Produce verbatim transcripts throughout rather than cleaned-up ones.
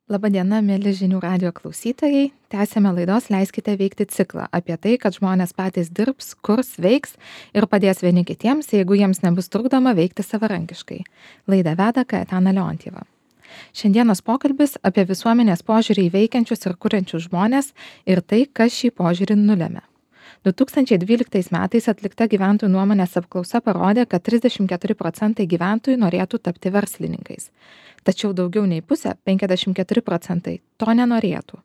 Labadiena, mėly žinių radijo klausytojai. Tęsėme laidos Leiskite veikti ciklą apie tai, kad žmonės patys dirbs, kurs, veiks ir padės vieni kitiems, jeigu jiems nebus trukdoma veikti savarankiškai. Laidą veda Kaetana Leontieva. Šiandienos pokalbis apie visuomenės požiūrį į veikiančius ir kuriančius žmonės ir tai, kas šį požiūrį nulėmė. du tūkstančiai dvyliktais metais atlikta gyventojų nuomonės apklausa parodė, kad trisdešimt keturi procentai gyventojų norėtų tapti verslininkais. Tačiau daugiau nei pusė, penkiasdešimt keturi procentai, to nenorėtų.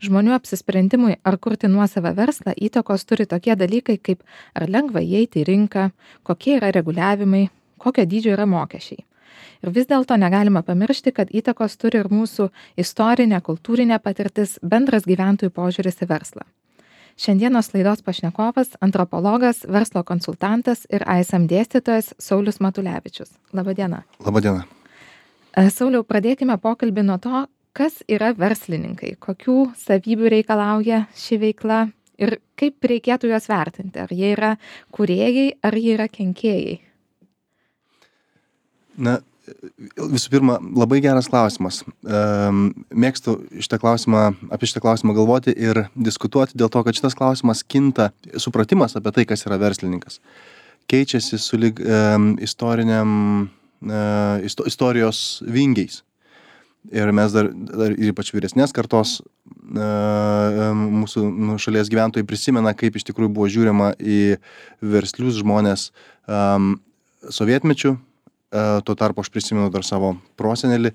Žmonių apsisprendimui ar kurti nuosavą verslą įtakos turi tokie dalykai kaip ar lengva įeiti į rinką, kokie yra reguliavimai, kokio dydžio yra mokesčiai. Ir vis dėlto negalima pamiršti, kad įtakos turi ir mūsų istorinė, kultūrinė patirtis, bendras gyventojų požiūris į verslą. Šiandienos laidos pašnekovas, antropologas, verslo konsultantas ir A S M dėstytojas Saulius Matulevičius. Labadiena. Labadiena. Sauliau, pradėkime pokalbį nuo to, kas yra verslininkai, kokių savybių reikalauja ši veikla ir kaip reikėtų juos vertinti. Ar jie yra kūrėjai, ar jie yra kenkėjai? Na, visų pirma, labai geras klausimas. Mėgstu šitą klausimą, apie šitą klausimą galvoti ir diskutuoti dėl to, kad šitas klausimas kinta, supratimas apie tai, kas yra verslininkas. Keičiasi sulig um, istoriniam, uh, isto, istorijos vingiais. Ir mes dar, dar ir ypač vyresnės kartos uh, mūsų nu, šalies gyventojai prisimena, kaip iš tikrųjų buvo žiūrima į verslius žmonės um, sovietmečių. Tuo tarpu aš prisimenu dar savo prosenelį,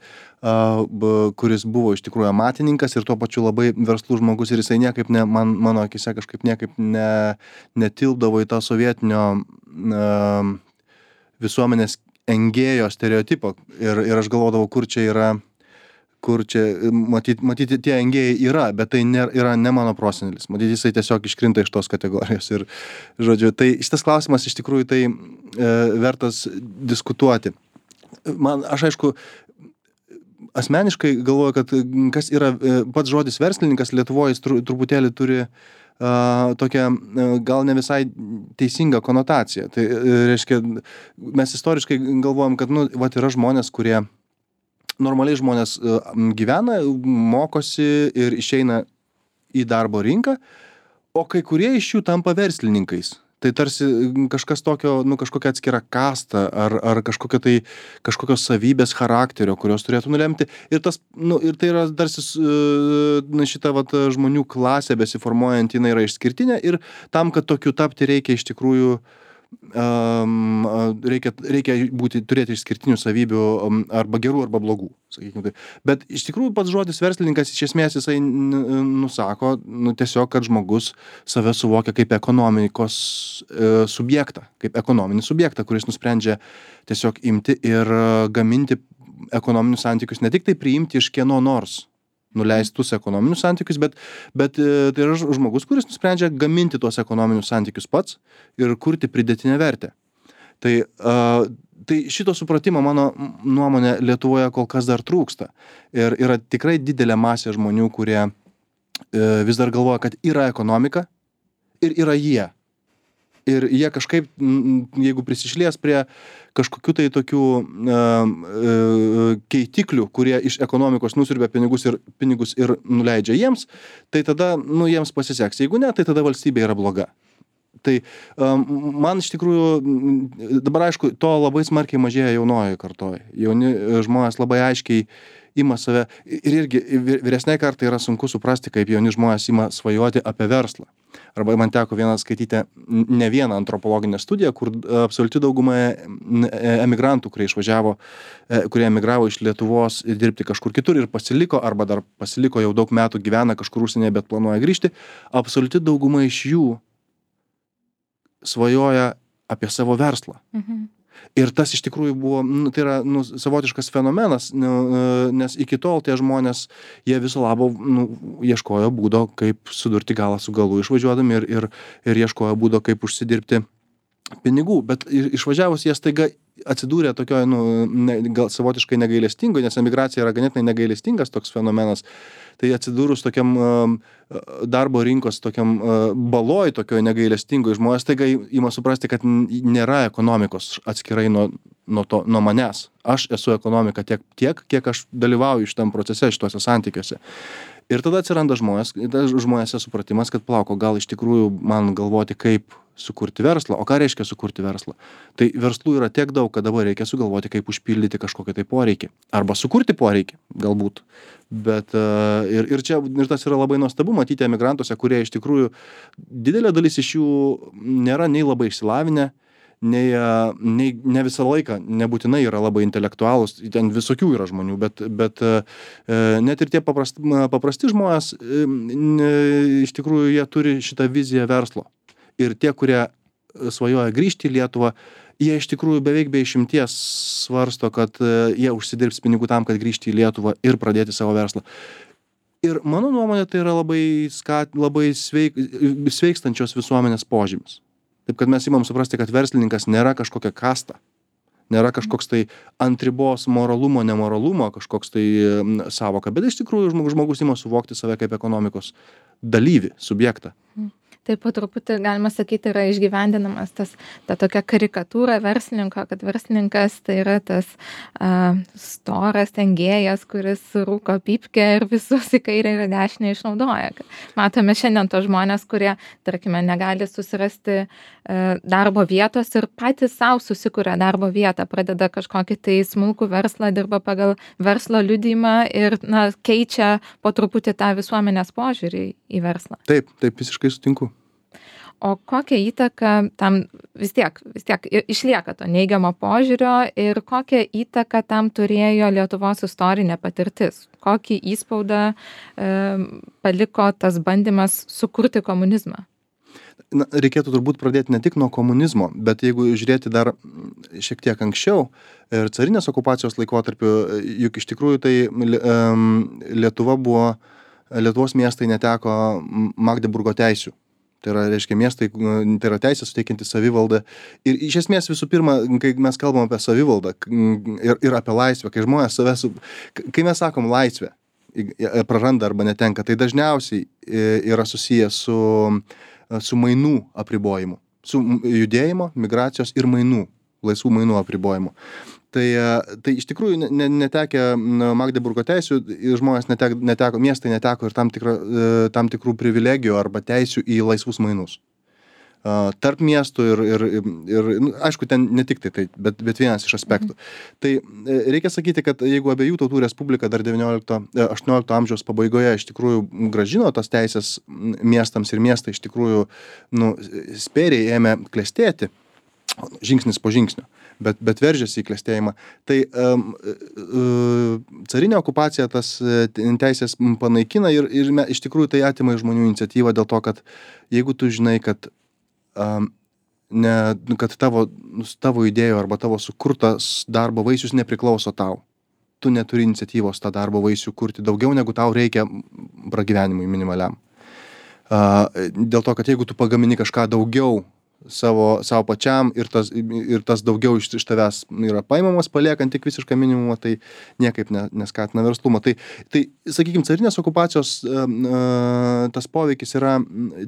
kuris buvo iš tikrųjų amatininkas ir tuo pačiu labai verslus žmogus ir jisai niekaip, ne, man, mano akise kažkaip niekaip ne, netilpdavo į tą sovietinio uh, visuomenės engėjo stereotipą ir, ir aš galvodavau, kur čia yra, kur čia, matyti, matyti tie engėjai yra, bet tai ne, yra ne mano prosenelis. Matyti, jisai tiesiog iškrinta iš tos kategorijos. Ir, žodžiu, tai šitas klausimas iš tikrųjų tai e, vertas diskutuoti. Man, aš aišku, asmeniškai galvoju, kad kas yra e, pats žodis verslininkas Lietuvoje, jis tru, truputėlį turi e, tokią e, gal ne visai teisingą konotaciją. Tai e, reiškia, mes istoriškai galvojam, kad, nu, vat yra žmonės, kurie normaliai žmonės gyvena, mokosi ir išeina į darbo rinką, o kai kurie iš jų tampa verslininkais. Tai tarsi kažkas tokio, nu, kažkokia atskira kasta ar, ar kažkokia tai, kažkokios savybės charakterio, kurios turėtų nulemti. Ir, tas, nu, ir tai yra tarsi na, šita vat, žmonių klasė besiformuojant, jinai yra išskirtinė ir tam, kad tokiu tapti reikia iš tikrųjų Um, reikia, reikia būti, turėti išskirtinių savybių um, arba gerų, arba blogų, sakykime tai. Bet iš tikrųjų pats žodis verslininkas iš esmės jisai nusako, nu, tiesiog, kad žmogus save suvokia kaip ekonomikos e, subjektą, kaip ekonominį subjektą, kuris nusprendžia tiesiog imti ir gaminti ekonominius santykius, ne tik tai priimti iš kieno nors nuleistus ekonominius santykius, bet, bet tai yra žmogus, kuris nusprendžia gaminti tuos ekonominius santykius pats ir kurti pridėtinę vertę. Tai, uh, tai šito supratimo mano nuomonė Lietuvoje kol kas dar trūksta. Ir yra tikrai didelė masė žmonių, kurie uh, vis dar galvoja, kad yra ekonomika ir yra jie. Ir jie kažkaip, jeigu prisišlies prie kažkokių tai tokių uh, uh, keitiklių, kurie iš ekonomikos nusiurbia pinigus ir, pinigus ir nuleidžia jiems, tai tada, nu, jiems pasiseks. Jeigu ne, tai tada valstybė yra bloga. Tai um, man iš tikrųjų, dabar aišku, to labai smarkiai mažėja jaunojoje kartoje. Jauni žmonės labai aiškiai ima save, ir irgi vyresnei kartai yra sunku suprasti, kaip jauni žmonės ima svajoti apie verslą. Arba man teko vieną skaityti ne vieną antropologinę studiją, kur absoliuti dauguma emigrantų, kurie išvažiavo, kurie emigravo iš Lietuvos dirbti kažkur kitur ir pasiliko, arba dar pasiliko jau daug metų gyvena kažkur užsienyje, bet planuoja grįžti, absoliuti dauguma iš jų svajoja apie savo verslą. Mhm. Ir tas iš tikrųjų buvo, nu, tai yra nu, savotiškas fenomenas, nu, nes iki tol tie žmonės, jie viso labo nu, ieškojo būdo, kaip sudurti galą su galu išvažiuodami ir, ir, ir ieškojo būdo, kaip užsidirbti pinigų. Bet išvažiavus jie staiga atsidūrė tokioje, nu, ne, gal savotiškai negailestingoje, nes emigracija yra ganėtinai negailestingas toks fenomenas. Tai atsidūrus tokiam um, darbo rinkos, tokiam uh, baloj, tokioje negailestingoje, žmonės taiga ima suprasti, kad nėra ekonomikos atskirai nuo, nuo, to, nuo manęs. Aš esu ekonomika tiek, tiek, kiek aš dalyvauju šitam procese, šituose santykiuose. Ir tada atsiranda žmonės, žmonėse supratimas, kad plauko, gal iš tikrųjų man galvoti, kaip sukurti verslą. O ką reiškia sukurti verslą? Tai verslų yra tiek daug, kad dabar reikia sugalvoti, kaip užpildyti kažkokį tai poreikį. Arba sukurti poreikį, galbūt. Bet ir, ir čia ir tas yra labai nuostabu matyti emigrantuose, kurie iš tikrųjų didelė dalis iš jų nėra nei labai išsilavinę, nei, nei ne visą laiką nebūtinai yra labai intelektualūs, ten visokių yra žmonių, bet, bet net ir tie paprasti, paprasti žmonės, iš tikrųjų jie turi šitą viziją verslo. Ir tie, kurie svajoja grįžti į Lietuvą, jie iš tikrųjų beveik be išimties svarsto, kad jie užsidirbs pinigų tam, kad grįžti į Lietuvą ir pradėti savo verslą. Ir mano nuomonė, tai yra labai, skat, labai sveik, sveikstančios visuomenės požymis. Taip, kad mes įmam suprasti, kad verslininkas nėra kažkokia kasta, nėra kažkoks tai ant ribos moralumo, nemoralumo, kažkoks tai savoka, bet iš tikrųjų žmogus ima suvokti save kaip ekonomikos dalyvį, subjektą. Taip po truputį, galima sakyti, yra išgyvendinamas tas, ta tokia karikatūra verslininko, kad verslininkas tai yra tas uh, storas tengėjas, kuris rūko pypkę ir visus į kairę ir dešinę išnaudoja. Matome šiandien tos žmonės, kurie, tarkime, negali susirasti uh, darbo vietos ir patys savo susikuria darbo vietą, pradeda kažkokį tai smulkų verslą, dirba pagal verslo liudijimą ir na, keičia po truputį tą visuomenės požiūrį į verslą. Taip, taip, visiškai sutinku. O kokią įtaką tam vis tiek, vis tiek išlieka to neigiamo požiūrio ir kokią įtaką tam turėjo Lietuvos istorinė patirtis? Kokį įspaudą e, paliko tas bandymas sukurti komunizmą? Na, reikėtų turbūt pradėti ne tik nuo komunizmo, bet jeigu žiūrėti dar šiek tiek anksčiau ir carinės okupacijos laikotarpiu, juk iš tikrųjų tai um, Lietuva buvo, Lietuvos miestai neteko Magdeburgo teisių. Tai yra, reiškia, miestai, tai yra teisė suteikianti savivaldą. Ir iš esmės visų pirma, kai mes kalbam apie savivaldą ir, ir apie laisvę, kai žmonės savęs, su, kai mes sakom laisvę, praranda arba netenka, tai dažniausiai yra susijęs su, su mainų apribojimu, su judėjimo, migracijos ir mainų, laisvų mainų apribojimu. Tai, tai iš tikrųjų ne, netekę Magdeburgo teisių, žmonės neteko, neteko, miestai neteko ir tam, tikra, tam tikrų privilegijų arba teisių į laisvus mainus. Tarp miestų ir, ir, ir aišku, ten ne tik tai, tai bet, bet vienas iš aspektų. Mhm. Tai reikia sakyti, kad jeigu abiejų tautų respublika dar devyniolikto aštuoniolikto amžiaus pabaigoje iš tikrųjų gražino tas teisės miestams ir miestai iš tikrųjų nu, spėriai ėmė klestėti, žingsnis po žingsnio. Bet, bet veržėsi į klestėjimą. Tai um, uh, carinė okupacija tas teisės panaikina ir, ir me, iš tikrųjų tai atima iš žmonių iniciatyvą dėl to, kad jeigu tu žinai, kad, um, ne, kad tavo, tavo idėjų arba tavo sukurtas darbo vaisius nepriklauso tau, tu neturi iniciatyvos tą darbo vaisių kurti daugiau, negu tau reikia pragyvenimui minimaliam. Uh, dėl to, kad jeigu tu pagamini kažką daugiau savo, savo pačiam ir tas, ir tas daugiau iš, iš tavęs yra paimamas, paliekant tik visišką minimumą, tai niekaip ne, neskatina verslumo. Tai, tai sakykime, carinės okupacijos uh, tas poveikis yra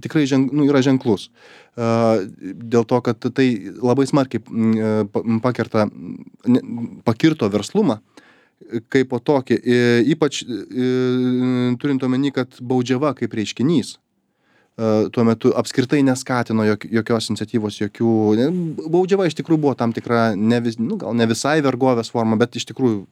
tikrai ženk, nu, yra ženklus. Uh, dėl to, kad tai labai smarkiai uh, pakerta, ne, pakirto verslumą kaip po tokį, e, ypač e, turint omeny, kad baudžiava kaip reiškinys tuo metu apskritai neskatino jok, jokios iniciatyvos, jokių... Baudžiava iš tikrųjų buvo tam tikra, ne vis, nu, gal ne visai vergovės forma, bet iš tikrųjų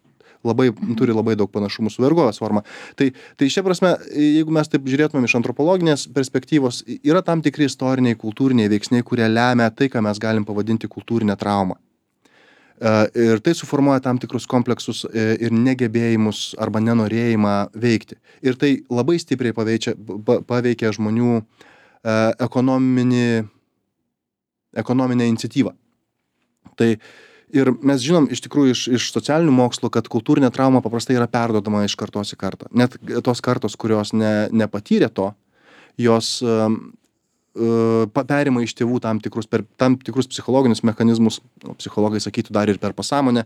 labai, turi labai daug panašumų su vergovės forma. Tai, tai šia prasme, jeigu mes taip žiūrėtumėm iš antropologinės perspektyvos, yra tam tikri istoriniai, kultūriniai veiksniai, kurie lemia tai, ką mes galim pavadinti kultūrinę traumą. Ir tai suformuoja tam tikrus kompleksus ir negebėjimus arba nenorėjimą veikti. Ir tai labai stipriai paveikia, paveikia žmonių ekonominį, ekonominę iniciatyvą. Tai ir mes žinom iš tikrųjų iš, iš socialinių mokslų, kad kultūrinė trauma paprastai yra perduodama iš kartos į kartą. Net tos kartos, kurios ne, nepatyrė to, jos perima iš tėvų tam tikrus, per tam tikrus psichologinius mechanizmus, psichologai sakytų dar ir per pasąmonę,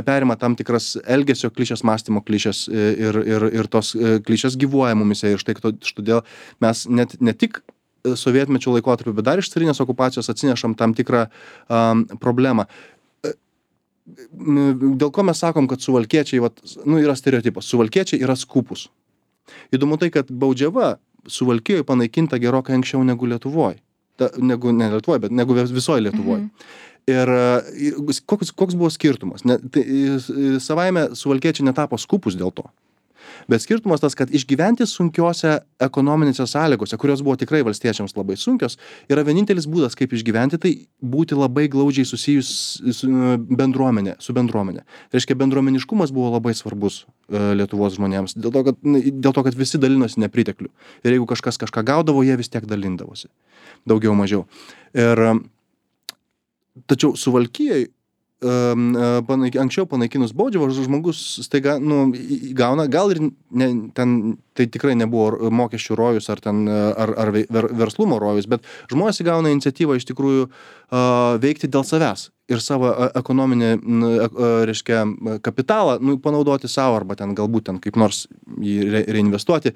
perima tam tikras elgesio klišės, mąstymo klišės ir, ir, ir tos klišės gyvuoja mumise. Ir štai todėl mes net ne tik sovietmečio laikotarpiu, bet dar iš carinės okupacijos atsinešam tam tikrą um, problemą. Dėl ko mes sakom, kad suvalkiečiai, vat, nu, yra stereotipas, suvalkiečiai yra skūpus. Įdomu tai, kad Baudžiava Suvalkijoje panaikinta gerokai anksčiau negu Lietuvoj. Ta, negu, ne Lietuvoj, bet negu visoje Lietuvoj. Mhm. Ir koks, koks buvo skirtumas? Ne, tai, savaime suvalkiečiai netapo skūpus dėl to. Bet skirtumas tas, kad išgyventi sunkiose ekonominėse sąlygose, kurios buvo tikrai valstiečiams labai sunkios, yra vienintelis būdas, kaip išgyventi, tai būti labai glaudžiai susijus su bendruomenė, su bendruomenė. Reiškia, bendruomeniškumas buvo labai svarbus uh, Lietuvos žmonėms, dėl to, kad, dėl to, kad visi dalinosi nepriteklių. Ir jeigu kažkas kažką gaudavo, jie vis tiek dalindavosi. Daugiau mažiau. Ir, tačiau Suvalkijai Um, panaik, anksčiau panaikinus Baudžiavą, žmogus staiga nu, gauna, gal ir ne, ten tai tikrai nebuvo mokesčių rojus ar, ten, ar, ar ver, verslumo rojus, bet žmonės įgauna iniciatyvą iš tikrųjų uh, veikti dėl savęs ir savo ekonominį, uh, reiškia, kapitalą nu, panaudoti savo arba ten galbūt ten kaip nors jį re, reinvestuoti.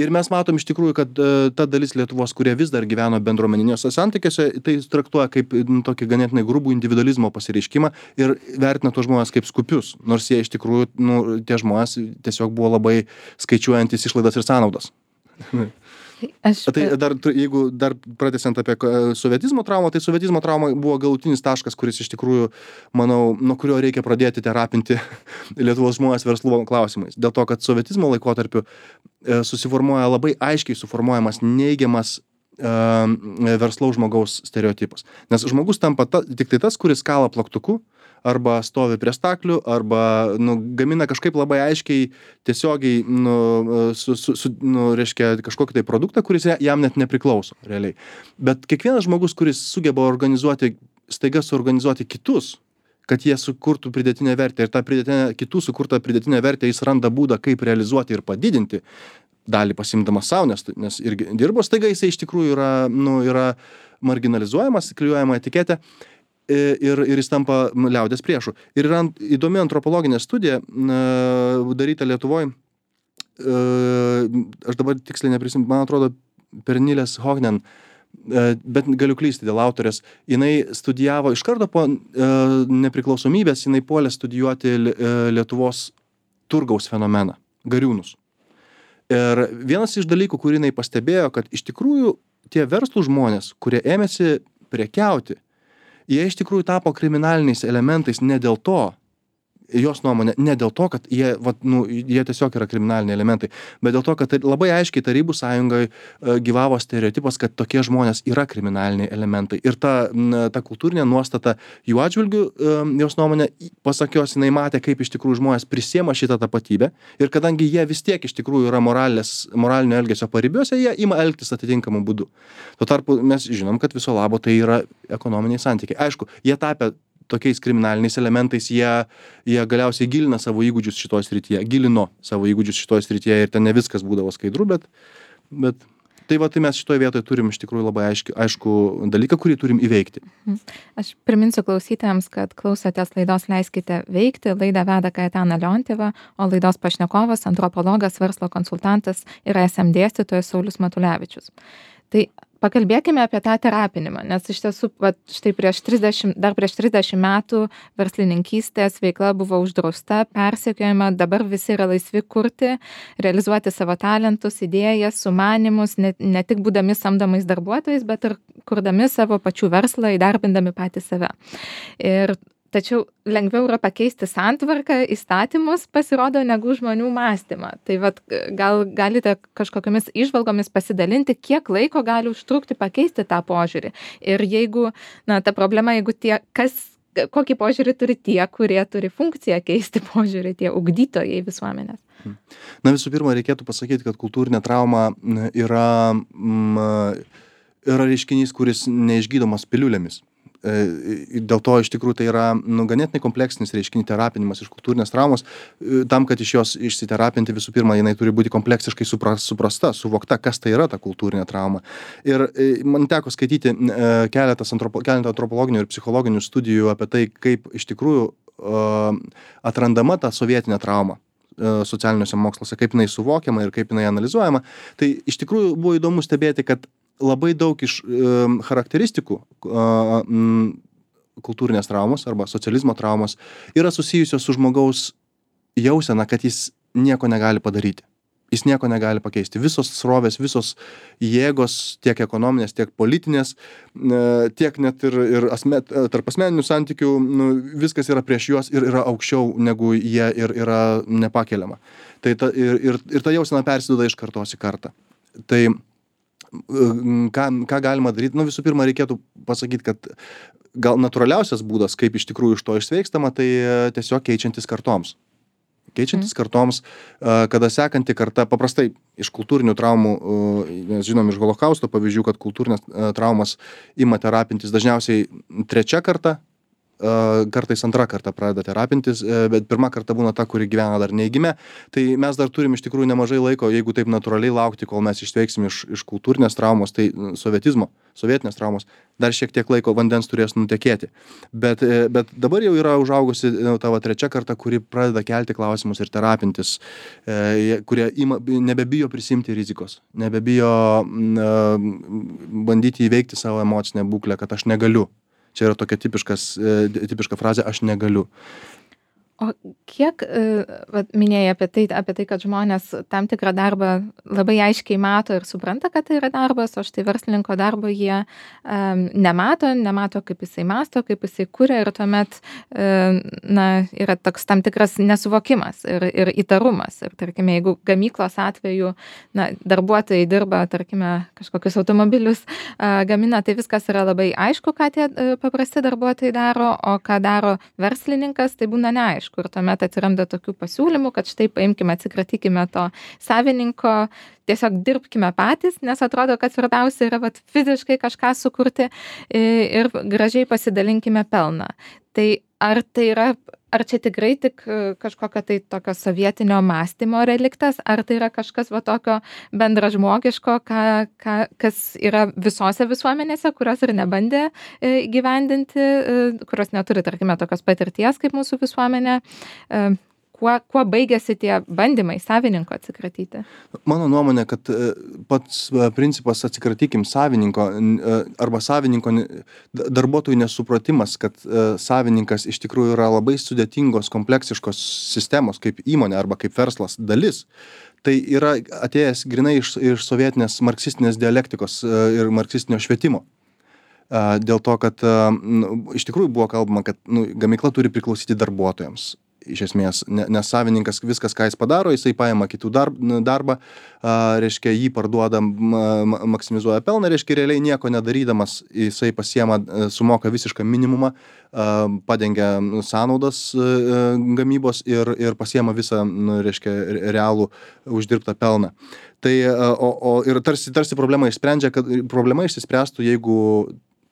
Ir mes matom iš tikrųjų, kad uh, ta dalis Lietuvos, kurie vis dar gyveno bendruomeniniuose santykiuose, tai traktuoja kaip nu, tokį ganėtinai grubų individualizmo pasireiškimą ir vertina tuos žmonės kaip skupius, nors jie iš tikrųjų, nu, tie žmonės tiesiog buvo labai skaičiuojantis išlaidas ir sąnaudas. Aš... Tai dar, jeigu dar pratęsiant apie sovietizmo traumą, tai sovietizmo trauma buvo galutinis taškas, kuris iš tikrųjų, manau, nuo kurio reikia pradėti terapinti Lietuvos žmonės verslumo klausimais. Dėl to, kad sovietizmo laikotarpiu susiformuoja labai aiškiai suformuojamas neigiamas uh, verslaus žmogaus stereotipas. Nes žmogus tampa ta, tik tai tas, kuris kala plaktuku, arba stovi prie staklių, arba nu, gamina kažkaip labai aiškiai tiesiogiai, nu, su, su, su, nu, reiškia kažkokį tai produktą, kuris jam net nepriklauso realiai. Bet kiekvienas žmogus, kuris sugeba organizuoti, staiga suorganizuoti kitus, kad jie sukurtų pridėtinę vertę ir tą pridėtinę, kitų sukurtą pridėtinę vertę jis randa būdą, kaip realizuoti ir padidinti, dalį pasimdamas savo, nes, nes irgi dirbo, staiga jisai iš tikrųjų yra, nu, yra marginalizuojamas, klijuojama etiketė. Ir, ir jis tampa liaudės priešų. Ir yra įdomi antropologinė studija daryta Lietuvoj. Aš dabar tiksliai neprisimenu, man atrodo, Pernilės Hognen, bet galiu klysti dėl autorės. Jinai studijavo iš karto po nepriklausomybės, jinai puolė studijuoti Lietuvos turgaus fenomeną, gariūnus. Ir vienas iš dalykų, kurį jinai pastebėjo, kad iš tikrųjų tie verslų žmonės, kurie ėmėsi prekiauti, jie iš tikrųjų tapo kriminaliniais elementais ne dėl to, jos nuomonė, ne dėl to, kad jie, vat, nu, jie tiesiog yra kriminaliniai elementai, bet dėl to, kad labai aiškiai Tarybų sąjungoje gyvavo stereotipas, kad tokie žmonės yra kriminaliniai elementai. Ir ta, ta kultūrinė nuostata jų atžvilgių, jos nuomonė, pasakios, jinai matė, kaip iš tikrųjų žmonės prisiema šitą tapatybę. Ir kadangi jie vis tiek iš tikrųjų yra moralės, moralinio elgesio paribiuose, jie ima elgtis atitinkamų būdų. Tuo tarpu mes žinom, kad viso labo tai yra ekonominiai santykiai. Aišku, jie tapę tokiais kriminaliniais elementais, jie, jie galiausiai gilina savo įgūdžius šitoje srityje, gilino savo įgūdžius šitoje srityje ir ten ne viskas būdavo skaidru, bet, bet tai va, tai mes šitoje vietoje turim iš tikrųjų labai aiškų, aišku dalyką, kurį turim įveikti. Aš priminsiu klausytojams, kad klausotės laidos Leiskite veikti, laidą veda Kaetana Leontjeva, o laidos pašnekovas, antropologas, verslo konsultantas ir es em dėstytojas Saulius Matulevičius. Tai pakalbėkime apie tą terapinimą, nes iš tiesų, va, štai prieš trisdešimt, dar prieš trisdešimt metų verslininkystės veikla buvo uždrausta, persekiojama, dabar visi yra laisvi kurti, realizuoti savo talentus, idėjas, sumanymus, ne, ne tik būdami samdomais darbuotojais, bet ir kurdami savo pačių verslą, įdarbindami patį save. Ir tačiau lengviau yra pakeisti santvarką, įstatymus, pasirodo, negu žmonių mąstymą. Tai vat, gal galite kažkokiamis įžvalgomis pasidalinti, kiek laiko gali užtrukti pakeisti tą požiūrį. Ir jeigu, na, ta problema, jeigu tie, kas, kokį požiūrį turi tie, kurie turi funkciją keisti požiūrį, tie ugdytojai visuomenės. Na, visų pirma, reikėtų pasakyti, kad kultūrinė trauma yra, mm, yra reiškinys, kuris neišgydomas piliulėmis. Dėl to iš tikrųjų tai yra nu, ganėtinai kompleksinis reiškinys terapinimas iš kultūrinės traumos. Tam, kad iš jos išsiterapinti, visų pirma, jinai turi būti kompleksiškai suprasta, suvokta, kas tai yra ta kultūrinė trauma. Ir man teko skaityti keletas antropo, keletą antropologinių ir psichologinių studijų apie tai, kaip iš tikrųjų atrandama ta sovietinė trauma socialiniuose moksluose, kaip jinai suvokiama ir kaip jinai analizuojama. Tai iš tikrųjų buvo įdomu stebėti, kad labai daug iš charakteristikų kultūrinės traumos arba socializmo traumos yra susijusios su žmogaus jausena, kad jis nieko negali padaryti. Jis nieko negali pakeisti. Visos srovės, visos jėgos, tiek ekonominės, tiek politinės, tiek net ir, ir asme, tarp asmeninių santykių, nu, viskas yra prieš juos ir yra aukščiau, negu jie ir yra nepakeliama. Tai ta, ir, ir, ir ta jausena persiduoda iš kartos į kartą. Tai ką, ką galima daryti? Nu, visų pirma, reikėtų pasakyti, kad gal natūraliausias būdas, kaip iš tikrųjų iš to išsveikstama, tai tiesiog keičiantis kartoms. Keičiantis kartoms, kada sekanti karta, paprastai iš kultūrinių traumų, nes žinom iš holokausto pavyzdžių, kad kultūrinės traumas ima terapintis dažniausiai trečia karta, kartais antra karta pradeda terapintis, bet pirma karta būna ta, kuri gyvena dar neįgimė. Tai mes dar turim iš tikrųjų nemažai laiko, jeigu taip natūraliai laukti, kol mes išveiksim iš, iš kultūrinės traumos, tai sovietizmo, sovietinės traumos, dar šiek tiek laiko vandens turės nutekėti. Bet, bet dabar jau yra užaugusi tavo trečia karta, kuri pradeda kelti klausimus ir terapintis, kurie ima, nebebijo prisimti rizikos, nebebijo bandyti įveikti savo emocinę būklę, kad aš negaliu. Čia yra tokia tipiškas, tipiška frazė, aš negaliu. O kiek, vat, minėjai apie tai, apie tai, kad žmonės tam tikrą darbą labai aiškiai mato ir supranta, kad tai yra darbas, o štai verslininko darbo jie um, nemato, nemato, kaip jisai masto, kaip jisai kuria ir tuomet um, na, yra toks tam tikras nesuvokimas ir, ir įtarumas. Ir tarkime, jeigu gamyklos atveju na, darbuotojai dirba, tarkime, kažkokius automobilius uh, gamina, tai viskas yra labai aišku, ką tie uh, paprasti darbuotojai daro, o ką daro verslininkas, tai būna neaišku. Ir tuomet atsiranda tokių pasiūlymų, kad štai paimkime, atsikratykime to savininko, tiesiog dirbkime patys, nes atrodo, kad svarbiausia yra vat, fiziškai kažką sukurti ir gražiai pasidalinkime pelną. Tai ar tai yra, ar čia tikrai tik kažkokio tai tokio sovietinio mąstymo reliktas, ar tai yra kažkas va tokio bendražmogiško, ką, ką, kas yra visose visuomenėse, kurios ir nebandė gyvendinti, kurios neturi, tarkime, tokios patirties kaip mūsų visuomenė. Kuo, kuo baigėsi tie bandymai savininko atsikratyti? Mano nuomonė, kad pats principas atsikratykim savininko arba savininko darbuotojų nesupratimas, kad savininkas iš tikrųjų yra labai sudėtingos, kompleksiškos sistemos kaip įmonė arba kaip verslas dalis. Tai yra atėjęs grinai iš, iš sovietinės marksistinės dialektikos ir marksistinio švietimo. Dėl to, kad nu, iš tikrųjų buvo kalbama, kad nu, gamykla turi priklausyti darbuotojams. Iš esmės, nes savininkas viskas, ką jis padaro, jisai paima kitų darb, darbą, a, reiškia, jį parduoda, ma, maksimizuoja pelną, reiškia, realiai nieko nedarydamas, jisai pasiema, sumoka visišką minimumą, a, padengia sąnaudas a, gamybos ir, ir pasiema visą, nu, reiškia, realų uždirbtą pelną. Tai, a, o, o, ir tarsi, tarsi problema išsprendžia, kad problema išsispręstų, jeigu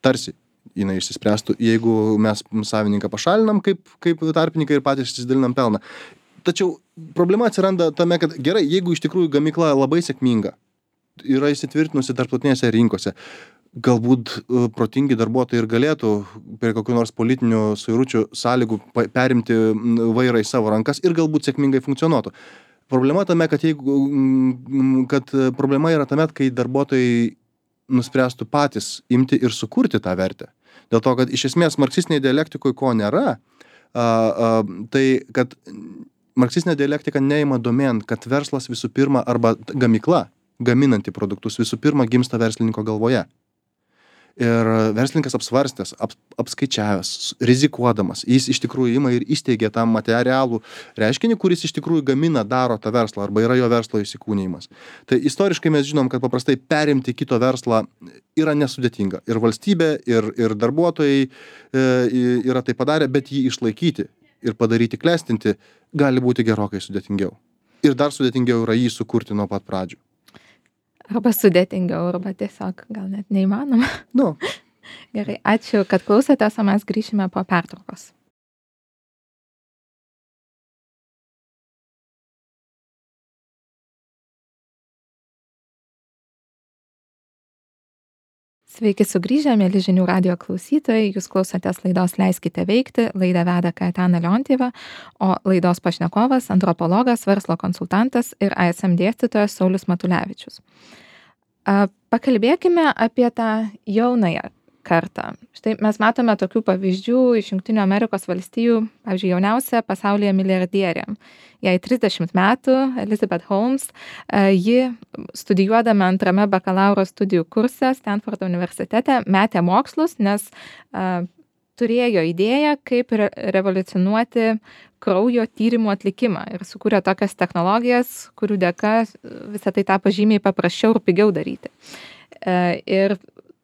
tarsi jinai išsispręstų, jeigu mes savininką pašalinam kaip, kaip tarpininkai ir patys išsidalinam pelną. Tačiau problema atsiranda tame, kad gerai, jeigu iš tikrųjų gamykla labai sėkminga, yra įsitvirtinusi tarptautinėse rinkose, galbūt protingi darbuotojai ir galėtų prie kokių nors politinių suiručių sąlygų perimti vairą į savo rankas ir galbūt sėkmingai funkcionuotų. Problema tame, kad, jeigu, kad problema yra tame, kai darbuotojai nuspręstų patys imti ir sukurti tą vertę. Dėl to, kad iš esmės marksistinėje dialektikoje ko nėra, a, a, tai kad marksistinė dialektika neima domėn, kad verslas visų pirma arba gamykla gaminanti produktus visų pirma gimsta verslininko galvoje. Ir verslininkas apsvarstęs, ap, apskaičiavęs, rizikuodamas, jis iš tikrųjų ima ir įsteigia tą materialų reiškinį, kuris iš tikrųjų gamina, daro tą verslą arba yra jo verslo įsikūnijimas. Tai istoriškai mes žinom, kad paprastai perimti kito verslą yra nesudėtinga. Ir valstybė, ir, ir darbuotojai e, yra tai padarę, bet jį išlaikyti ir padaryti klestinti gali būti gerokai sudėtingiau. Ir dar sudėtingiau yra jį sukurti nuo pat pradžių. Arba sudėtingiau, arba tiesiog gal net neįmanoma. Nu, Gerai, ačiū, kad klausėtės, o mes grįšime po pertraukos. Sveiki sugrįžę, mėly žinių radijo klausytojai, jūs klausotės laidos Leiskite veikti, laidą veda Kaetana Leontieva, o laidos pašnekovas, antropologas, verslo konsultantas ir I S M dėstytojas Saulius Matulevičius. Pakalbėkime apie tą jaunąją kartą. Štai mes matome tokių pavyzdžių iš Jungtinių Amerikos valstijų, pavyzdžiui, jauniausia pasaulyje milijardierė. Jai trisdešimt metų, Elizabeth Holmes, ji studijuodama antrame bakalauro studijų kurse Stanfordo universitete metė mokslus, nes a, turėjo idėją, kaip re revoliucionuoti kraujo tyrimų atlikimą ir sukūrė tokias technologijas, kurių dėka visą tai tapo žymiai paprasčiau ir pigiau daryti. A, ir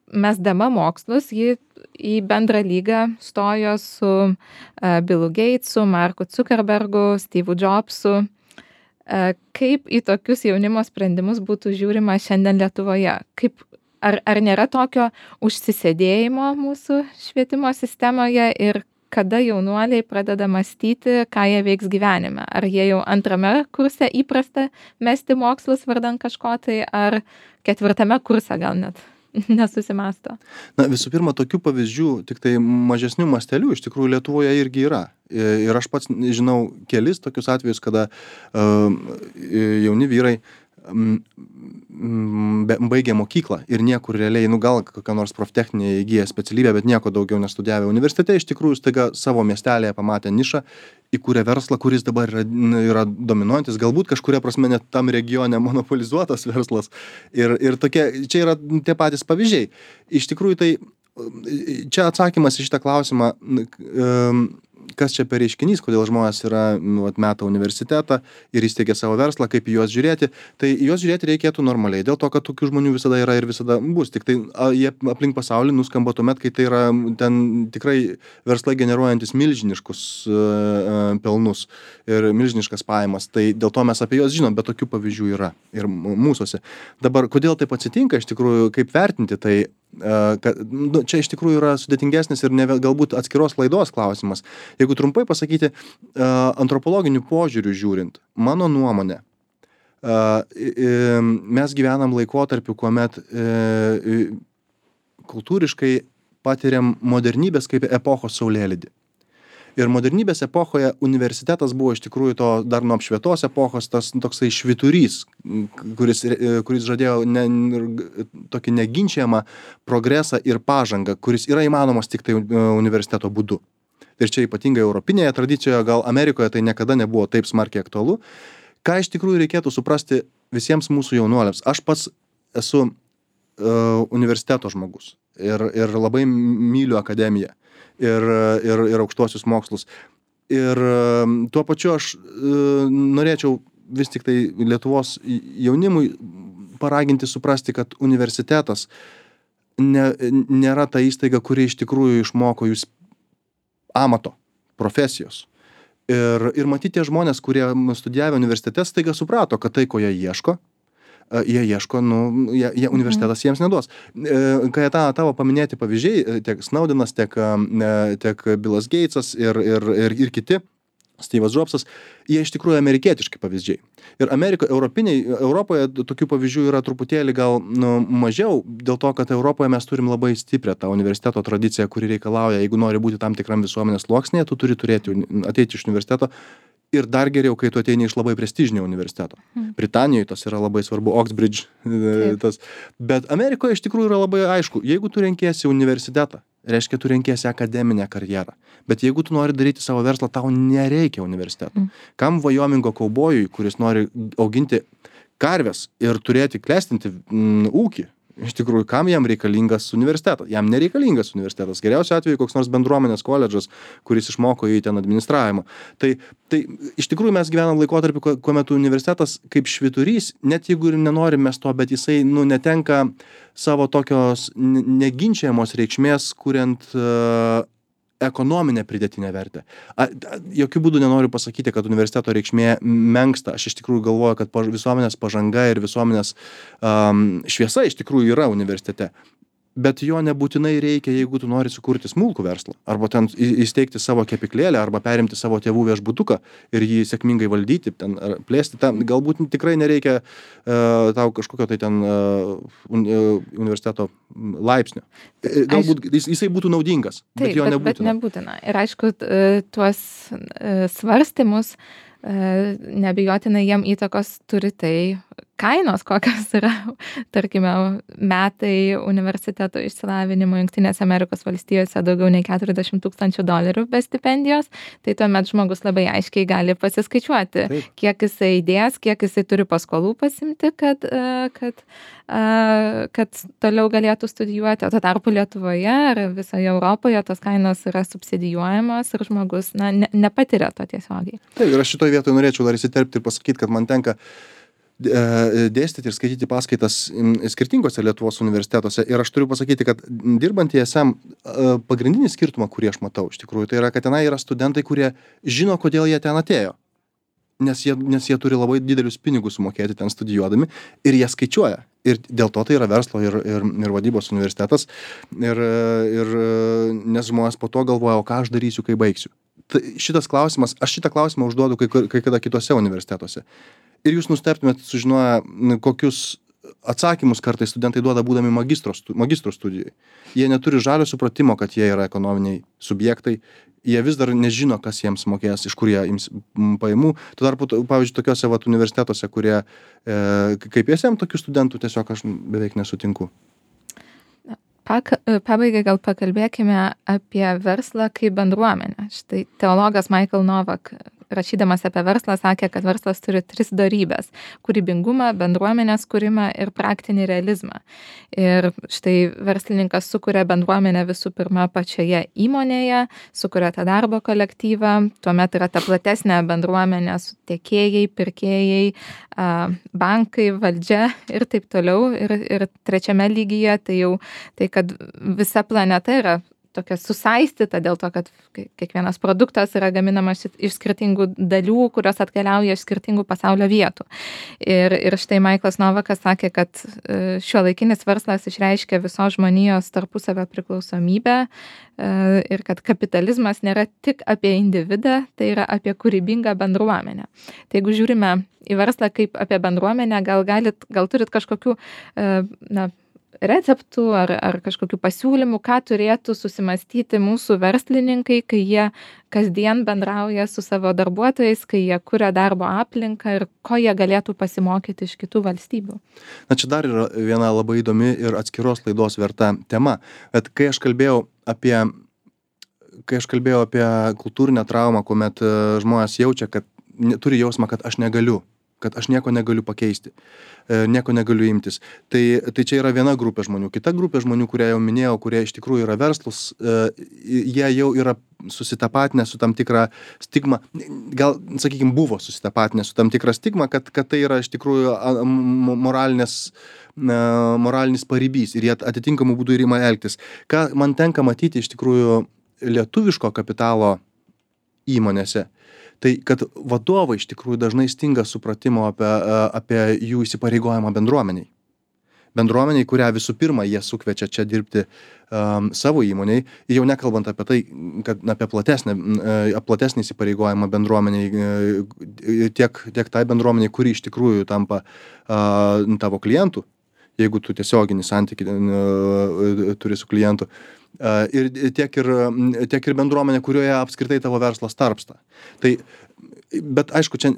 mesdama mokslus, ji į bendrą lygą stojo su uh, Billu Gatesu, Marku Zuckerbergu, Steve Jobsu. Uh, kaip į tokius jaunimo sprendimus būtų žiūrima šiandien Lietuvoje? Kaip, ar, ar nėra tokio užsisėdėjimo mūsų švietimo sistemoje ir kada jaunuoliai pradeda mąstyti, ką jie veiks gyvenime? Ar jie jau antrame kurse įprasta mesti mokslus vardan kažko tai, ar ketvirtame kurse gal net nesusimąsto? Na, visų pirma, tokių pavyzdžių, tik tai mažesnių mastelių, iš tikrųjų Lietuvoje irgi yra. Ir aš pats žinau kelis tokius atvejus, kada uh, jauni vyrai um, baigė mokyklą ir niekur realiai, nu gal kokią nors proftechninę įgyję specialybę, bet nieko daugiau nestudijavę universitete, iš tikrųjų staiga savo miestelėje pamatė nišą, įkūrė verslą, kuris dabar yra, yra dominuojantis, galbūt kažkuria prasme net tam regione monopolizuotas verslas. Ir, ir tokie, čia yra tie patys pavyzdžiai. Iš tikrųjų tai, čia atsakymas į šitą klausimą, kas čia per reiškinys, kodėl žmonės yra, nu, meta universitetą ir įsteigia savo verslą, kaip į juos žiūrėti, tai į juos žiūrėti reikėtų normaliai, dėl to, kad tokių žmonių visada yra ir visada bus, tik tai a, jie aplink pasaulį nuskamba tuomet, kai tai yra ten tikrai verslai generuojantis milžiniškus uh, pelnus ir milžiniškas pajamas, tai dėl to mes apie juos žinom, bet tokių pavyzdžių yra ir mūsuose. Dabar, kodėl taip atsitinka, iš tikrųjų, kaip vertinti, tai kad, nu, čia iš tikrųjų yra sudėtingesnis ir ne, galbūt atskiros laidos klausimas. Jeigu trumpai pasakyti, antropologiniu požiūriu žiūrint, mano nuomonė, mes gyvenam laikotarpiu, kuomet kultūriškai patiriam modernybės kaip epochos saulėlydį. Ir modernybės epochoje universitetas buvo iš tikrųjų to dar nuo apšvietos epochos tas toksai švyturys, kuris, kuris žadėjo ne, tokį neginčiamą progresą ir pažangą, kuris yra įmanomas tik tai universiteto būdu. Ir čia ypatingai europinėje tradicijoje, gal Amerikoje tai niekada nebuvo taip smarkiai aktualu. Ką iš tikrųjų reikėtų suprasti visiems mūsų jaunuoliams? Aš pats esu uh, universiteto žmogus ir, ir labai myliu akademiją. Ir, ir, ir aukštuosius mokslus. Ir tuo pačiu aš e, norėčiau vis tik tai Lietuvos jaunimui paraginti suprasti, kad universitetas ne, nėra ta įstaiga, kuri iš tikrųjų išmoko jūs amato, profesijos. Ir, ir matyti tie žmonės, kurie studijavę universitete, staiga suprato, kad tai, ko jie ieško, jie ieško, nu, jie, jie universitetas jiems neduos. Kai ta, tavo paminėti pavyzdžiai, tiek Snowdenas, tiek, tiek Billas Gatesas ir, ir, ir, ir kiti, Steve'as Jobsas, jie iš tikrųjų amerikietiški pavyzdžiai. Ir Amerikoje, Europiniai, Europoje tokių pavyzdžių yra truputėlį gal nu, mažiau, dėl to, kad Europoje mes turim labai stiprią tą universiteto tradiciją, kuri reikalauja, jeigu nori būti tam tikram visuomenės sluoksnėje, tu turi turėti, ateiti iš universiteto. Ir dar geriau, kai tu ateini iš labai prestižinio universiteto. Hmm. Britanijoje tas yra labai svarbu, Oxbridge. Tas. Bet Amerikoje iš tikrųjų yra labai aišku, jeigu tu renkiesi universitetą, reiškia, tu renkiesi akademinę karjerą. Bet jeigu tu nori daryti savo verslą, tau nereikia universiteto. Hmm. Kam Vajomingo kaubojui, kuris nori auginti karves ir turėti klestinti mm, ūkį, iš tikrųjų, kam jam reikalingas universitetas? Jam nereikalingas universitetas. Geriausiu atveju koks nors bendruomenės koledžas, kuris išmoko jį ten administravimo. Tai, tai iš tikrųjų mes gyvenam laikotarpį, kuomet universitetas kaip švyturys, net jeigu ir nenorim mes to, bet jisai nu, netenka savo tokios neginčiamos reikšmės, kuriant uh, ekonominę pridėtinę vertę. A, a, jokių būdų nenoriu pasakyti, kad universiteto reikšmė menksta. Aš iš tikrųjų galvoju, kad paž, visuomenės pažanga ir visuomenės um, šviesa iš tikrųjų yra universitete. bet jo nebūtinai reikia, jeigu tu nori sukurti smulkų verslą, arba ten į- įsteigti savo kepyklėlę, arba perimti savo tėvų viešbutuką ir jį sėkmingai valdyti, ten ar plėsti. Tam galbūt tikrai nereikia uh, tau kažkokio tai ten uh, un, uh, universiteto laipsnio. E, Galbūt jis, jisai būtų naudingas, Taip, bet jo bet, bet nebūtina. nebūtina. Ir aišku, t- e, tuos e, svarstymus e, neabejotinai jiem įtakos turi tai kainos, kokios yra, tarkime, metai universiteto išsilavinimo Jungtinėse Amerikos valstijose daugiau nei keturiasdešimt tūkstančių dolerių be stipendijos, tai tuomet žmogus labai aiškiai gali pasiskaičiuoti, Taip. kiek jisai įdės, kiek jisai turi paskolų pasimti, kad, e, kad, e, kad toliau galėtų studijuoti. O tuo tarpu Lietuvoje ar visoje Europoje tos kainos yra subsidijuojamos ir žmogus na, ne, nepatiria to tiesiogiai. Taip, ir aš šitoj vietoj norėčiau dar įsiterpti ir pasakyti, kad man tenka e, dėstyti ir skaityti paskaitas m, skirtingose Lietuvos universitetuose. Ir aš turiu pasakyti, kad dirbant į S M e, pagrindinį skirtumą, kurį aš matau iš tikrųjų, tai yra, kad tenai yra studentai, kurie žino, kodėl jie ten atėjo. Nes jie, nes jie turi labai didelius pinigus sumokėti ten studijuodami ir jie skaičiuoja. Ir dėl to tai yra verslo ir, ir, ir vadybos universitetas. Ir, ir nes žmonės po to galvoja, o ką aš darysiu, kai baigsiu. Tai šitas klausimas, aš šitą klausimą užduodu kai, kur- kai kada kitose universitetuose. Ir jūs nustebtumėt sužinoję, n, kokius atsakymus kartais studentai duoda būdami magistro, stu- magistro studijai. Jie neturi žalio supratimo, kad jie yra ekonominiai subjektai. Jie vis dar nežino, kas jiems mokės, iš kur jie ims m, pajamų. Tuo tarpu, t- pavyzdžiui, tokiuose vat, universitetuose, kurie e, kaip S M tokių studentų tiesiog aš beveik nesutinku. Pak, pabaigai gal pakalbėkime apie verslą kaip bendruomenę. Štai teologas Michael Novak, rašydamas apie verslą, sakė, kad verslas turi tris dorybės - kūrybingumą, bendruomenės kūrimą ir praktinį realizmą. Ir štai verslininkas sukuria bendruomenę visų pirma pačioje įmonėje, sukuria tą darbo kolektyvą, tuomet yra ta platesnė bendruomenė su tiekėjai, pirkėjai, a, bankai, valdžia ir taip toliau. Ir, ir trečiame lygyje tai jau tai, kad visa planeta yra tokia susaistyta dėl to, kad kai- kiekvienas produktas yra gaminamas iš- iš skirtingų dalių, kurios atkeliauja iš skirtingų pasaulio vietų. Ir, ir štai Michaelas Novakas sakė, kad e, šiuolaikinis verslas išreiškia visos žmonijos tarpusavio priklausomybę e, ir kad kapitalizmas nėra tik apie individą, tai yra apie kūrybingą bendruomenę. Tai jeigu žiūrime į verslą kaip apie bendruomenę, gal, galit, gal turit kažkokių e, na, receptų ar, ar kažkokių pasiūlymų, ką turėtų susimastyti mūsų verslininkai, kai jie kasdien bendrauja su savo darbuotojais, kai jie kuria darbo aplinką ir ko jie galėtų pasimokyti iš kitų valstybių. Na čia dar yra viena labai įdomi ir atskiros laidos verta tema. Bet kai aš kalbėjau apie, kai aš kalbėjau apie kultūrinę traumą, kuomet e, žmonės jaučia, kad ne- turi jausmą, kad aš negaliu, kad aš nieko negaliu pakeisti, e, nieko negaliu imtis. Tai, tai čia yra viena grupė žmonių. Kita grupė žmonių, kurie jau minėjau, kurie iš tikrųjų yra verslus, e, jie jau yra susitapatinę su tam tikra stigma, gal, sakykime, buvo susitapatinę su tam tikra stigma, kad, kad tai yra iš tikrųjų a, m- moralinės, e, moralinis paribys ir jie atitinkamų būdų ir ima elgtis. Ką man tenka matyti iš tikrųjų lietuviško kapitalo įmonėse, tai kad vadovai iš tikrųjų dažnai stinga supratimo apie, e, apie jų įsipareigojimą bendruomeniai. Bendruomeniai, kurią visų pirma jie sukviečia čia dirbti um, savo įmoniai, jau nekalbant apie tai, kad na, apie platesnį, uh, platesnį įsipareigojimą bendruomeniai, uh, tiek, tiek tai bendruomeniai, kuri iš tikrųjų tampa uh, tavo klientų, jeigu tu tiesioginį santykį uh, turi su klientu. Uh, ir tiek ir, tiek ir bendruomenė, kurioje apskritai tavo verslas tarpsta. Tai, bet aišku, čia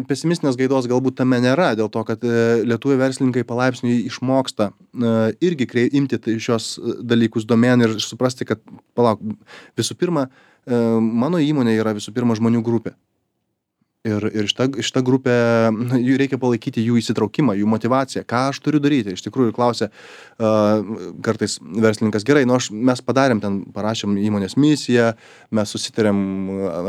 pesimistinės gaidos galbūt tame nėra, dėl to, kad e, lietuvių verslininkai palaipsniui išmoksta e, irgi krei, imti tai šios dalykus domėn ir suprasti, kad, palauk, visų pirma, e, mano įmonė yra visų pirma žmonių grupė. Ir, ir šita, šita grupė, na, jų reikia palaikyti jų įsitraukimą, jų motivaciją, ką aš turiu daryti. Iš tikrųjų, klausia uh, kartais verslininkas, gerai, nu aš, mes padarėm ten, parašėm įmonės misiją, mes susitarėm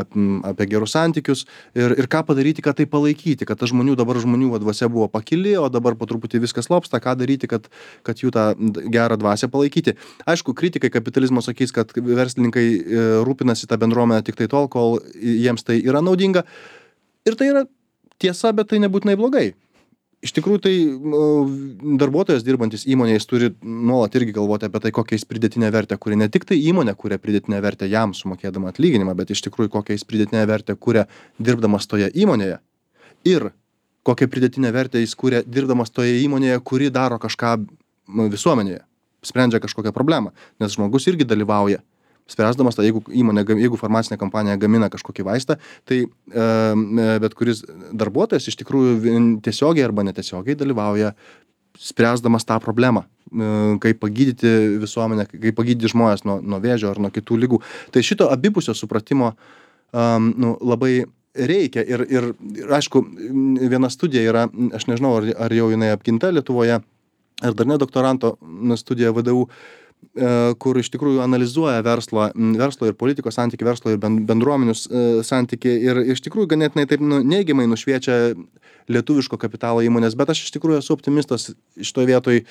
apie, apie gerus santykius ir, ir ką padaryti, kad tai palaikyti, kad ta žmonių, dabar žmonių dvasia buvo pakili, o dabar po truputį viskas lopsta, ką daryti, kad, kad jų tą gerą dvasią palaikyti. Aišku, kritikai kapitalizmo sakys, kad verslininkai e, rūpinasi tą bendruomenę tik tai tol, kol jiems tai yra naudinga. Ir tai yra tiesa, bet tai nebūtinai blogai. iš tikrųjų tai darbuotojas dirbantis įmonėje, jis turi nuolat irgi galvoti apie tai, kokią jis pridėtinę vertę kuria. Ne tik tai įmonė kuria pridėtinę vertę jam sumokėdama atlyginimą, bet iš tikrųjų kokią jis pridėtinę vertę kuria dirbdamas toje įmonėje. Ir kokią pridėtinę vertę jis kuria dirbdamas toje įmonėje, kuri daro kažką visuomenėje, sprendžia kažkokią problemą. Nes žmogus irgi dalyvauja spręsdamas, tai jeigu įmonė, jeigu farmacinė kompanija gamina kažkokį vaistą, tai e, bet kuris darbuotojas iš tikrųjų tiesiogiai arba netiesiogiai dalyvauja spręsdamas tą problemą, e, kaip pagydyti visuomenę, kaip pagydyti žmonės nuo, nuo vėžio ar nuo kitų ligų. Tai šito abipusio supratimo um, nu, labai reikia ir, ir, ir aišku, viena studija yra, aš nežinau, ar, ar jau jinai apginta Lietuvoje, ar dar ne doktoranto studija V D U, kur iš tikrųjų analizuoja verslo, verslo ir politikos santykių, verslo ir bendruomenius santykių ir iš tikrųjų ganėtinai taip nu, neigiamai nušviečia lietuviško kapitalo įmonės, bet aš iš tikrųjų esu optimistas šitoje vietoje.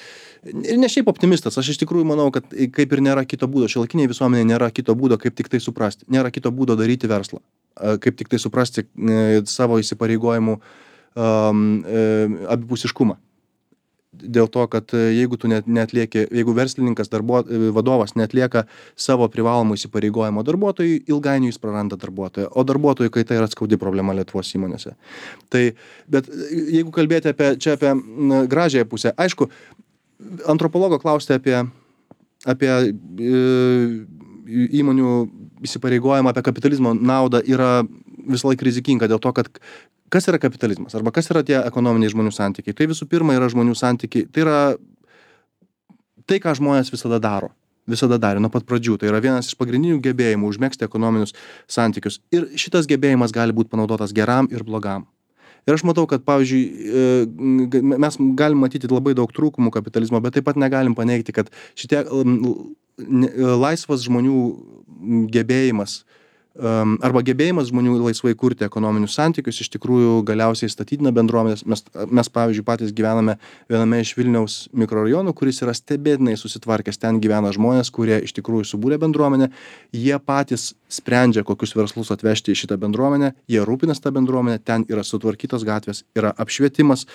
Ir ne šiaip optimistas, aš iš tikrųjų manau, kad kaip ir nėra kito būdo, šiuolaikiniai visuomenėje nėra kito būdo, kaip tik tai suprasti, nėra kito būdo daryti verslą, kaip tik tai suprasti savo įsipareigojimų um, abipusiškumą. Dėl to, kad jeigu tu net, netlieki, jeigu verslininkas, darbuo, vadovas netlieka savo privalomų įsipareigojimo darbuotojui, ilgainiui jis praranda darbuotoją, o darbuotojų kaita yra skaudi problema Lietuvos įmonėse. Tai, bet jeigu kalbėti apie, čia apie gražiąją pusę, aišku, antropologo klausti apie, apie e, įmonių įsipareigojimą, apie kapitalizmo naudą yra visą laiką rizikinga dėl to, kad kas yra kapitalizmas arba kas yra tie ekonominiai žmonių santykiai. Tai visų pirma yra žmonių santykiai. Tai yra tai, ką žmonės visada daro. Visada darė nuo pat pradžių. Tai yra vienas iš pagrindinių gebėjimų užmegzti ekonominius santykius. Ir šitas gebėjimas gali būti panaudotas geram ir blogam. Ir aš matau, kad, pavyzdžiui, mes galim matyti labai daug trūkumų kapitalizmo, bet taip pat negalim paneigti, kad šitie laisvas žmonių gebėjimas arba gebėjimas žmonių laisvai kurti ekonominius santykius iš tikrųjų galiausiai statydina bendruomenės. Mes, mes, pavyzdžiui, patys gyvename viename iš Vilniaus mikrorajonų, kuris yra stebėtinai susitvarkęs. Ten gyvena žmonės, kurie iš tikrųjų subūrė bendruomenę. Jie patys sprendžia, kokius verslus atvežti į šitą bendruomenę. Jie rūpinas tą bendruomenę. Ten yra sutvarkytos gatvės, yra apšvietimas.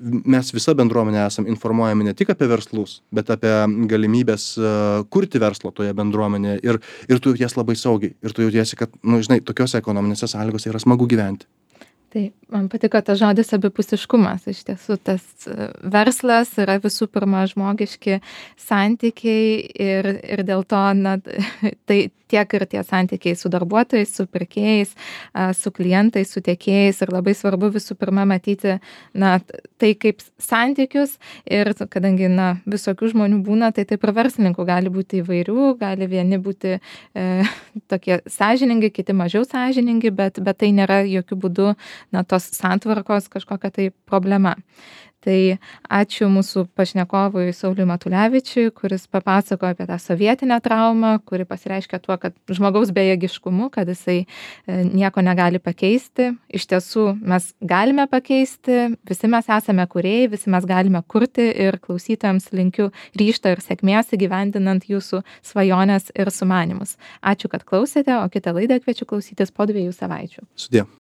Mes visa bendruomenė esam informuojami ne tik apie verslus, bet apie galimybės uh, kurti verslo toje bendruomenėje ir, ir tu jautiesi labai saugiai ir tu jautiesi, kad, nu, žinai, tokiose ekonominėse sąlygose yra smagu gyventi. Tai man patiko tas žodis abipusiškumas. Iš tiesų, tas verslas yra visų pirma žmogiški santykiai ir, ir dėl to, na, tai tiek ir tie santykiai su darbuotojais, su pirkėjais, su klientais, su tiekėjais ir labai svarbu visų pirma matyti, na, tai kaip santykius ir kadangi, na, visokių žmonių būna, tai taip ir verslininkų gali būti įvairių, gali vieni būti e, tokie sąžiningi, kiti mažiau sąžiningi, bet, bet tai nėra jokių būdų na, tos santvarkos kažkokia tai problema. Tai ačiū mūsų pašnekovui Sauliui Matulevičiui, kuris papasakojo apie tą sovietinę traumą, kuri pasireiškia tuo, kad žmogaus bejėgiškumu, kad jisai nieko negali pakeisti. Iš tiesų mes galime pakeisti, visi mes esame kūrėjai, visi mes galime kurti ir klausytojams linkiu ryžto ir sėkmės įgyvendinant jūsų svajonės ir sumanymus. Ačiū, kad klausėte, o kitą laidą kviečiu klausytis po dviejų savaičių. Sudie.